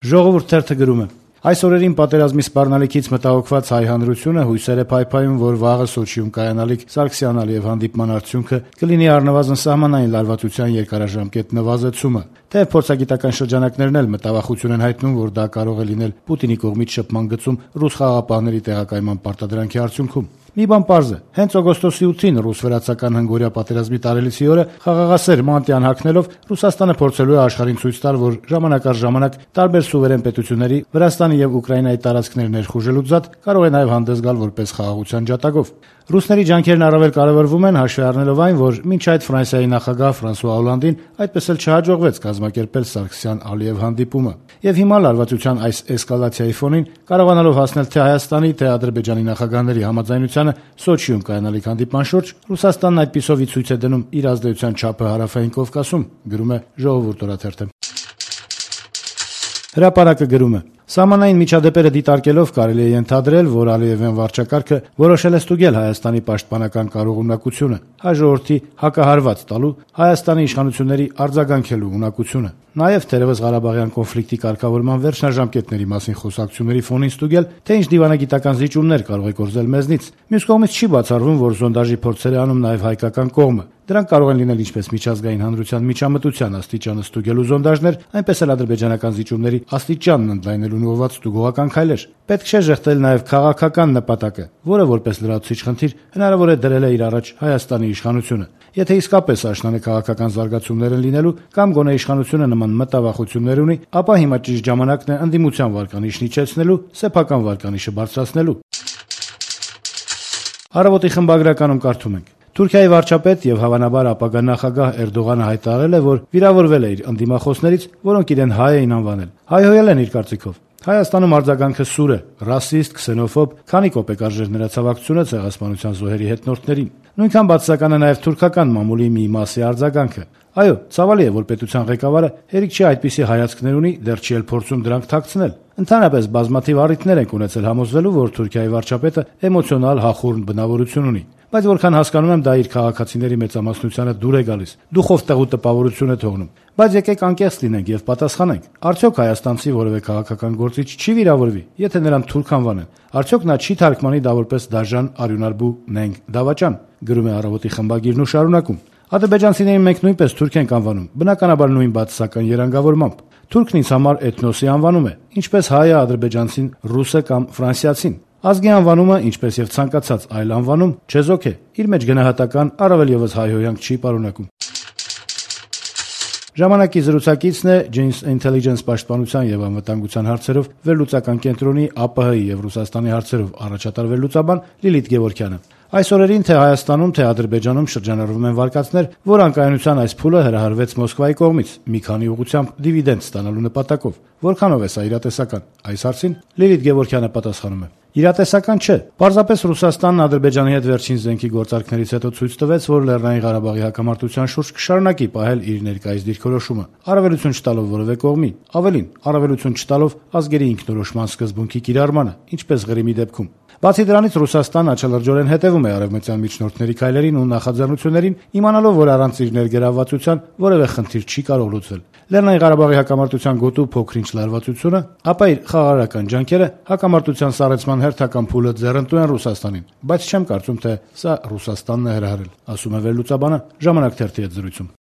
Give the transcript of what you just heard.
Ժողովուրդ թերթը գրում է. այս օրերին պատերազմի սպառնալիքից մտահոգված հայ հանրությունը հույսեր է փայփայում, որ վաղը Սոչիում կայանալիք Սարգսյան-Ալիև հանդիպման արդյունքը կլինի առնվազն սահմանային լարվածության երկարաժամկետ նվազեցումը։ Թեև փորձագիտական շրջանակներն էլ մտավախություն են հայտնում, որ դա կարող է լինել Պուտինի կողմից շփման գծում ռուս խաղաղապահների տեղակայման պարտադրանքի արդյունքում։ Մի բան պարզ է, հենց օգոստոսի 8-ին ռուս-վրացական հնգօրյա պատերազմի տարելիցի օրը խաղաղասեր մանտիան հագնելով Ռուսաստանը փորձելու է աշխարհին ցույց տալ, որ ժամանակ առ ժամանակ տարբեր սուվերեն պետությունների Վրաստանի եւ Ուկրաինայի տարածքներ ներխուժելու ձատ կարող է նաեւ հանդես գալ որպես խաղաղության ջատագով։ Ռուսների ջանքերն առավել կարևորվում են հաշվի առնելով այն, որ մինչ այդ Ֆրանսիայի նախագահ Ֆրանսուଆ Օլանդին այդպես էլ չհաջողվեց կազմակերպել Սարգսյան-Ալիև հանդիպումը։ Եվ հիմա լարվածության այս էսկալացիայի ֆոնին կարողանալով հասնել թե Հայաստանի, թե Ադրբեջանի նախագահների համաձայնությանը Սոչիում կայանալիք հանդիպման շուրջ, Ռուսաստանն այդպիսով ի ցույց է դնում իր ազդեցության չափը հարավային Կովկասում, գրում է Ժողովուրդ օրաթերթը։ Հրապարակը գրում է. Սահմանային միջադեպերը դիտարկելով կարելի է ենթադրել, որ Ալիևյան վարչակարգը որոշել է ստուգել Հայաստանի պաշտպանական կարողունակությունը, հայ ժողովրդի հակահարված տալու, Հայաստանի իշխանությունների արձագանքելու ունակությունը։ Նաև թերևս Ղարաբաղյան կոնֆլիկտի կարգավորման վերջնաժամկետների մասին խոսակցությունների ֆոնին ստուգել, թե ինչ դիվանագիտական զիջումներ կարող է կորզել մեզնից։ Մյուս կողմից չի բացառվում, որ զոնդաժի փորձեր է անում նաև հայկական կողմը։ Դրանք կարող են լինել ինչպես միջազգային հանրության միջամտության աստիճանը ստուգելու զոնդաժներ, այնպես էլ ադրբեջանական զիջումների աստիճանն ընդլայնելու ուղղված ստուգողական քայլեր։ Պետք չէ ժեղտել նաև քաղաքական նպատակը, որը որպես լրացուցիչ խնդիր հնարավոր է դրել է իր առաջ Հայաստանի իշխանությունը։ Եթե իսկապես աշնանը քաղաքական զարգացումներ են լինելու կամ գոնե իշխանությունը նման մտավախություններ ունի, ապա հիմա ճիշտ ժամանակն է ընդդիմության վարկանիշն իջեցնելու, սեփական վարկանիշը բարձրացնելու։ Առավոտի խմբագրականում կարդում ենք. Թուրքիայի վարչապետ եւ հավանաբար ապագա նախագահ Էրդողանը հայտարարել է, որ վիրավորվել է իր ընդդիմախոսներից, որոնք իրեն հայ էին անվանել։ Հայհոյել են իր կարծիքով։ Հայաստանում արձագանքը սուր է, ռասիստ, քսենոֆոբ, քանի կոպեկ արժեր նրա ցավակցությունը ցեղասպանության զոհերի հետնորդներին։ Նույնքան բացասական է նաև թուրքական մամուլի մի մասի արձագանքը։ Այո, ցավալի է, որ պետության ղեկավարը հերիք չի այդպիսի հայացքներ ունի, դեռ չի էլ փորձում դրանք թաքցնել։ Ընդհանրապես բազմաթիվ առիթներ ենք ունեցել համոզվելու, որ Թուրքիայի վարչապետը էմոցիոնալ հախուռն բնավորություն ունի։ Բայց որքան հասկանում եմ, դա իր քաղաքացիների մեծամասնությանը դուր է գալիս, դուխով տեղու տպավորություն է թողնում։ Բայց եկեք անկեղծ լինենք եւ պատասխանենք. արդյոք հայաստանցի որևէ քաղաքական գործիչ չի վիրավորվի, եթե նրան թուրք անվանեն։ Արդյոք նա չի թարգմանի դա որպես դաժան, արյունարբու, նենգ, դավաճան, գրում է Առավոտի խմբագիրն ու շարունակում. Ադրբեջանցիներին մենք նույնպես թուրք ենք անվանում, բնականաբար նույն բացասական երանգավորմամբ։ Թուրքն ինձ համար էթնոսի անվանում է, ինչպես հայը ադրբեջանցին ռուսը կամ ֆրանսիացին։ Ազգի անվանումը, ինչպես եւ ցանկացած այլ անվանում, չեզոք է, իր մեջ գնահատական, առավել եւս հայհոյանք չի պարունակում։ Ժամանակի զրուցակիցն է Janes Intelligence պաշտպանության եւ անվտանգության հարցերով վերլուծական կենտրոնի ԱՊՀ-ի եւ Ռուսաստանի հարցերով առաջատար վերլուծաբան Լիլիթ Գևորգյանը։ Այս օրերին թե Հայաստանում, թե Ադրբեջանում շրջանառվում են վարկածներ, որ անկայունության այս փուլը հրահրվեց Մոսկվայի կողմից մի քանի ուղղությամբ դիվիդենդ ստանալու նպատակով։ Որքանով է սա իրատեսական։ Այս հարցին Լիլիթ Գևորգյանը պատասխանում է. Իրատեսական չէ։ Պարզապես Ռուսաստանն Ադրբեջանի հետ վերջին զենքի գործարքներից հետո ցույց տվեց, որ Լեռնային Ղարաբաղի հակամարտության շուրջ կշարունակի պահել իր ներկայիս դիրքորոշումը, առավելություն չտալով որևէ կողմի, ավելին, առավելություն չտալով ազգերի ինքնորոշման սկզբունքի կիրառմանը, ինչպես Ղրիմի դեպքում։ Բացի դրանից Ռուսաստանն աչալրջորեն հետևում է արևմտյան միջնորդների քայլերին ու նախաձեռնություններին, իմանալով, որ առանց իր ներգրավվածության որևէ խնդիր չի կարող լուծվել։ Լեռնային Ղարաբաղի հակամարտության գոտու փոքրինչ լարվածությունը, ապա իր խաղաղարարական ջանքերը հակամարտության սառեցման հերթական փուլը ձեռնտու են Ռուսաստանին, բայց չեմ կարծում, թե սա Ռուսաստանն է հրահրել, ասում է վերլուծաբանը Ժամանակ թերթի հետ զրույցում։